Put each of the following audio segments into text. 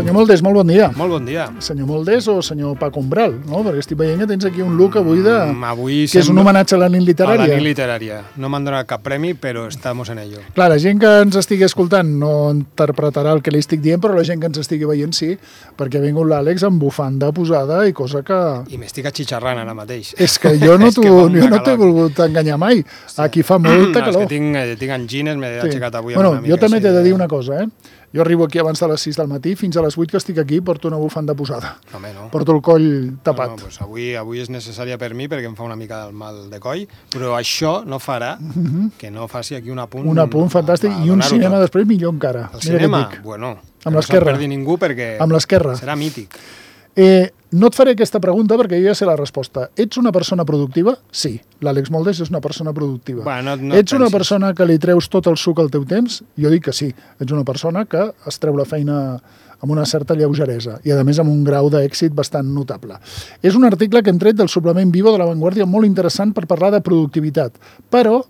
Senyor Moldés, molt bon dia. Molt bon dia. Senyor Moldés o senyor Paco Umbral, no? Perquè estic veient que tens aquí un look avui Avui que és un homenatge a la nit literària. A la nit literària. No m'han donat cap premi, però estamos en ello. Clar, la gent que ens estigui escoltant no interpretarà el que li estic dient, però la gent que ens estigui veient sí, perquè ha vingut l'Àlex amb bufanda posada i cosa que... I m'estic atxitxarrant ara mateix. És que jo no t'he volgut enganyar mai. Aquí fa molta calor. És que tinc angines, m'he aixecat avui amb una mica. Jo també t'he de dir una cosa, Jo arribo aquí abans de les 6 del matí, fins a les 8 que estic aquí porto una bufanda posada. Home, no. Porto el coll tapat. No, doncs avui és necessària per mi perquè em fa una mica del mal de coll, però això no farà que no faci aquí un apunt... Un apunt fantàstic i un cinema després millor encara. El cinema? Bueno, amb l'esquerra. No se'n perdi ningú perquè amb l'esquerra. Serà mític. No et faré aquesta pregunta perquè jo ja sé la resposta. Ets una persona productiva? Sí. L'Àlex Moldés és una persona productiva. Bueno, no ets una persona que li treus tot el suc al teu temps? Jo dic que sí. Ets una persona que es treu la feina amb una certa lleugeresa i, a més, amb un grau d'èxit bastant notable. És un article que hem tret del suplement Vivo de La Vanguardia molt interessant per parlar de productivitat. Però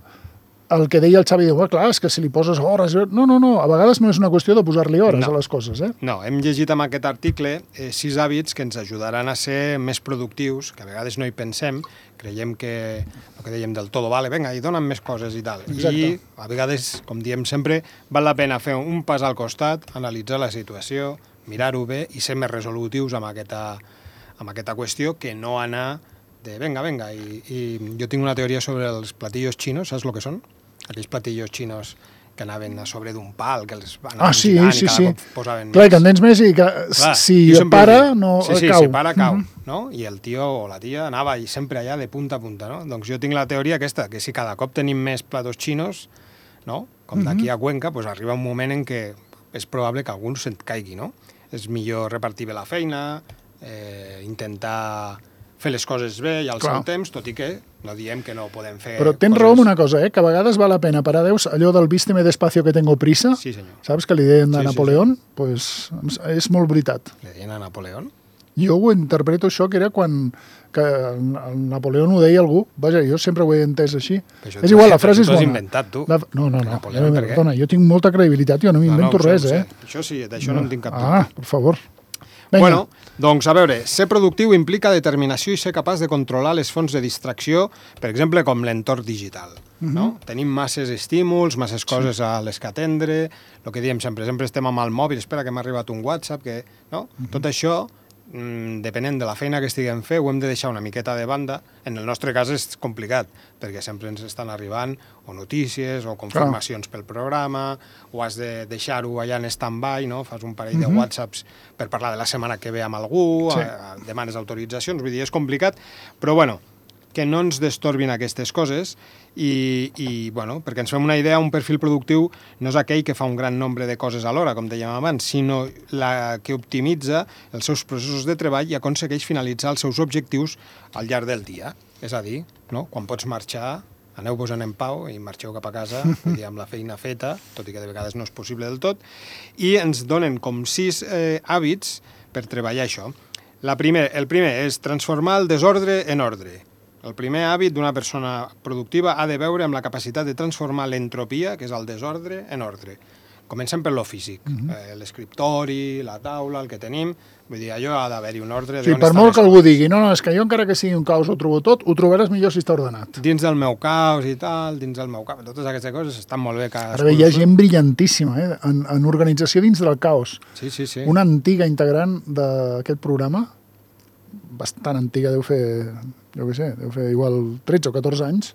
el que deia el Xavi, diu, clar, és que si li poses hores... No, a vegades no és una qüestió de posar-li hores a les coses, No, hem llegit amb aquest article 6 hàbits que ens ajudaran a ser més productius, que a vegades no hi pensem, creiem que, el que dèiem del todo vale, vinga, i dona'm més coses i tal. Exacte. I a vegades, com diem sempre, val la pena fer un pas al costat, analitzar la situació, mirar-ho bé i ser més resolutius amb aquesta qüestió que no anar de venga, i jo tinc una teoria sobre els platillos xinos, saps el que són? Aquells platillos xinos que anaven a sobre d'un pal, que els van girant i cada cop posaven clar, que en tens més i que si para, no cau. Sí, si para, cau. No? I el tio o la tia anava sempre allà de punta a punta. No? Doncs jo tinc la teoria aquesta, que si cada cop tenim més platos xinos, no? Com d'aquí a Cuenca, doncs arriba un moment en què és probable que algú se't caigui. No? És millor repartir bé la feina, intentar fer les coses bé i al seu temps, tot i que no diem que no podem fer... Però tens raó en una cosa, que a vegades val la pena parar Déus, allò del vísteme despacio que tengo prisa, sí, senyor. Saps que li deien a Napoleón? Pues és molt veritat. Li deien a Napoleón? Jo ho interpreto això, que era quan que el Napoleón ho deia algú. Vaja, jo sempre ho he entès així. És igual, la frase és bona. T'ho has inventat, tu. No. Perdona, jo tinc molta credibilitat, jo no m'invento res, Això sí, d'això no en tinc cap dubte. Ah, per favor. Venga. Bueno, doncs a veure, ser productiu implica determinació i ser capaç de controlar les fonts de distracció, per exemple, com l'entorn digital. No? Tenim masses estímuls, masses coses a les que atendre, el que diem sempre estem amb el mòbil, espera que m'ha arribat un WhatsApp, no? Tot això, depenent de la feina que estiguem fent, ho hem de deixar una miqueta de banda. En el nostre cas és complicat, perquè sempre ens estan arribant o notícies o confirmacions pel programa, o has de deixar-ho allà en stand-by, no? Fas un parell de WhatsApps per parlar de la setmana que ve amb algú, demanes autoritzacions, vull dir, és complicat, però bueno, que no ens destorbin aquestes coses i bueno, perquè ens fem una idea, un perfil productiu no és aquell que fa un gran nombre de coses alhora, com dèiem abans, sinó la que optimitza els seus processos de treball i aconsegueix finalitzar els seus objectius al llarg del dia. És a dir, no? Quan pots marxar, aneu-vos-en en pau i marxeu cap a casa, amb la feina feta, tot i que de vegades no és possible del tot, i ens donen com 6 hàbits per treballar això. El primer és transformar el desordre en ordre. El primer hàbit d'una persona productiva ha de veure amb la capacitat de transformar l'entropia, que és el desordre, en ordre. Comencem per lo físic. L'escriptori, la taula, el que tenim, vull dir, allò ha d'haver-hi un ordre. Sí, per molt que algú digui, no, és que jo encara que sigui un caos ho trobo tot, ho trobaràs millor si està ordenat. Dins del meu caos i tal, totes aquestes coses estan molt bé. Ara bé, hi ha gent brillantíssima, en organització dins del caos. Sí. Una antiga integrant d'aquest programa, bastant antiga, deu fer igual 13 o 14 anys,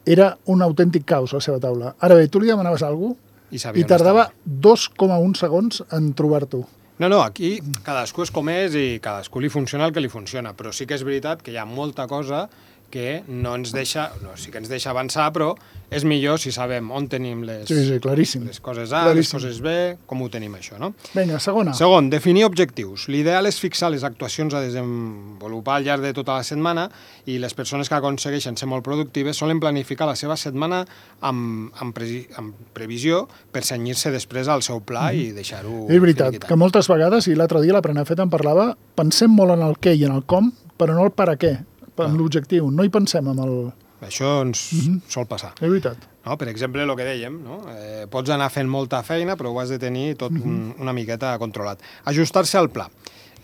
era un autèntic caos a la seva taula. Ara bé, tu li demanaves alguna cosa i tardava 2,1 segons en trobar-t'ho. No, aquí cadascú és com és i cadascú li funciona el que li funciona, però sí que és veritat que hi ha molta cosa que no ens deixa, sí que ens deixa avançar, però és millor si sabem on tenim les coses A, les coses B, com ho tenim això, no? Vinga, segona. Segon, definir objectius. L'ideal és fixar les actuacions a desenvolupar al llarg de tota la setmana i les persones que aconsegueixen ser molt productives solen planificar la seva setmana amb previsió per cenyir-se després al seu pla i deixar-ho... És veritat, que moltes vegades, i l'altre dia la Prenafeta en parlava, pensem molt en el què i en el com, però no el per a què. En l'objectiu, no hi pensem en el... Això ens sol passar. És veritat. no? Per exemple, el que dèiem, no? Pots anar fent molta feina, però ho has de tenir tot una miqueta controlat. Ajustar-se al pla.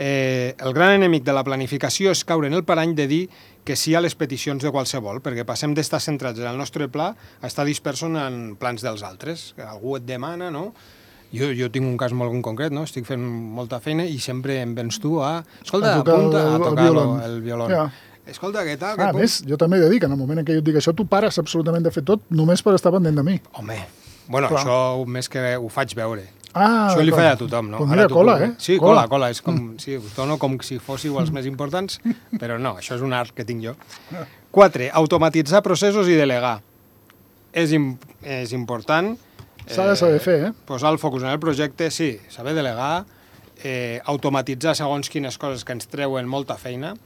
El gran enemic de la planificació és caure en el parany de dir que sí a les peticions de qualsevol, perquè passem d'estar centrats en el nostre pla a estar dispersos en plans dels altres. Algú et demana, no? Jo tinc un cas molt concret, no? Estic fent molta feina i sempre em vens tu a... Escolta, apunta a tocar el violó. Escolta, què tal? A més, jo també he de dir que en el moment en què jo et dic això, tu pares absolutament de fer tot només per estar pendent de mi. Home, bueno, això més que ho faig veure. Això li faig a tothom, no? Doncs mira, cola, Sí, cola. És com, sí, us dono com si fóssiu els més importants, però no, això és un art que tinc jo. 4. Automatitzar processos i delegar. És important. S'ha de saber fer, Posar el focus en el projecte, sí, saber delegar, automatitzar segons quines coses que ens treuen molta feina.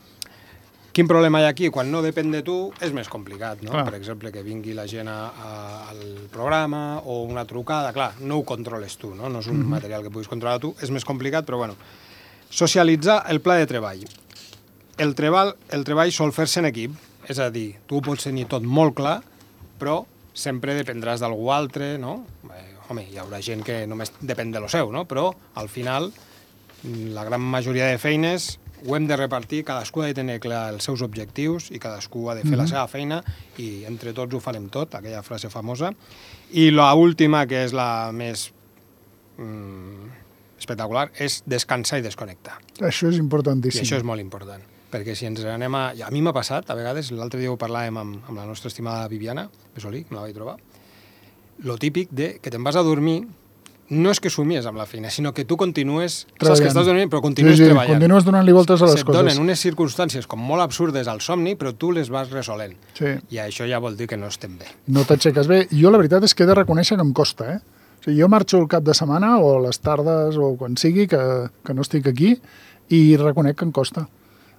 Quin problema hi ha aquí? Quan no depèn de tu és més complicat, no? Clar. Per exemple, que vingui la gent al programa o una trucada, clar, no ho controles tu, no? No és un material que puguis controlar tu, és més complicat, però bueno. Socialitzar el pla de treball. El treball sol fer-se en equip, és a dir, tu ho pots tenir tot molt clar, però sempre dependràs d'algú altre, no? Home, hi haurà gent que només depèn de lo seu, no? Però al final, la gran majoria de feines ho hem de repartir, cadascú ha de tenir clar els seus objectius i cadascú ha de fer la seva feina i entre tots ho farem tot, aquella frase famosa. I l'última, que és la més espectacular, és descansar i desconnectar. Això és importantíssim. I això és molt important, perquè si ens anem a... A mi m'ha passat, a vegades, l'altre dia ho parlàvem amb la nostra estimada Viviana Besolí, me la vaig trobar, lo típic de que te'n vas a dormir. No és que somies amb la feina, sinó que tu continues... Saps que estàs dormint, però continues treballant. Continues donant-li voltes a les coses. Se't donen unes circumstàncies com molt absurdes al somni, però tu les vas resolent. Sí. I això ja vol dir que no estem bé. No t'aixeques bé. Jo la veritat és que he de reconèixer que em costa, O sigui, jo marxo el cap de setmana o les tardes o quan sigui que no estic aquí i reconec que em costa.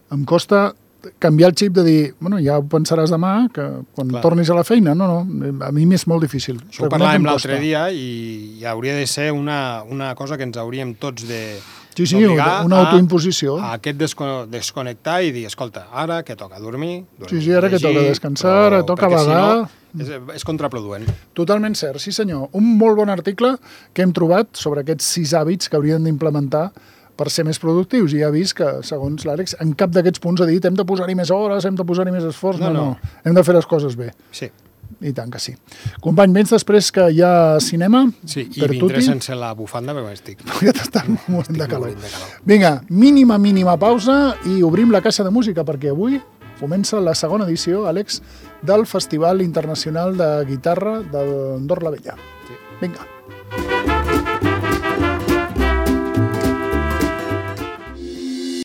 Em costa canviar el xip de dir, bueno, ja ho pensaràs demà, que quan tornis a la feina, no, a mi m'és molt difícil. Això ho parlàvem l'altre dia i hauria de ser una cosa que ens hauríem tots de d'obligar una autoimposició. A aquest desconnectar i dir, escolta, ara que toca dormir, ara que toca descansar, ara toca vagar... És contraproduent. Totalment cert, sí senyor. Un molt bon article que hem trobat sobre aquests 6 hàbits que haurien d'implementar per ser més productius. I ja he vist que, segons l'Àlex, en cap d'aquests punts ha dit hem de posar-hi més hores, hem de posar-hi més esforç. No. Hem de fer les coses bé. Sí. I tant que sí. Company, vens després que hi ha cinema? Sí, i vindré sense la bufanda perquè m'estic... Ja t'està morint de calor. Vinga, mínima pausa i obrim la caixa de música perquè avui comença la segona edició, Àlex, del Festival Internacional de Guitarra d'Andorra la Vella. Vinga.